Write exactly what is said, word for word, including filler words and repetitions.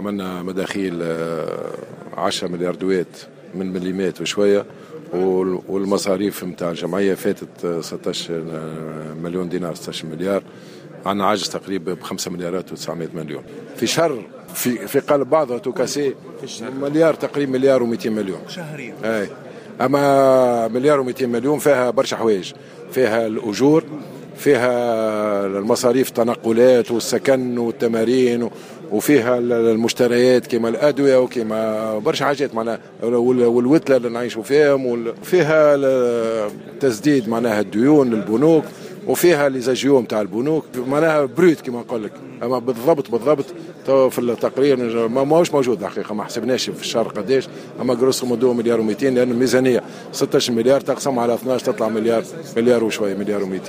عملنا مداخيل عشرة مليار دوات من مليمات وشويه، والمصاريف نتاع الجمعية فاتت ستاش مليون دينار، ستاش مليار. عندنا عجز تقريبا ب خمسة مليارات وتسعمائة مليون في شهر، في في قلب بعضها tout cassé مليار تقريبا، مليار ومئتين مليون شهريا. اي، اما مليار ومئتين مليون فيها برشا حوايج، فيها الاجور، فيها المصاريف، التنقلات والسكن والتمارين، وفيها المشتريات كما الادوية وكما برشا حاجات معناها، والوتله اللي نعيشوا فيهم، وفيها تسديد معناها الديون للبنوك، وفيها les agios نتاع البنوك، معناها brut كما نقول لك. اما بالضبط بالضبط في التقرير ما ماهوش موجود الحقيقه، ما حسبناش في الشهر قداش، اما grosso modo مليار ومئتين، لان الميزانية ستاش مليار تقسم على اثناش تطلع مليار، مليار وشويه، مليار ومئتين.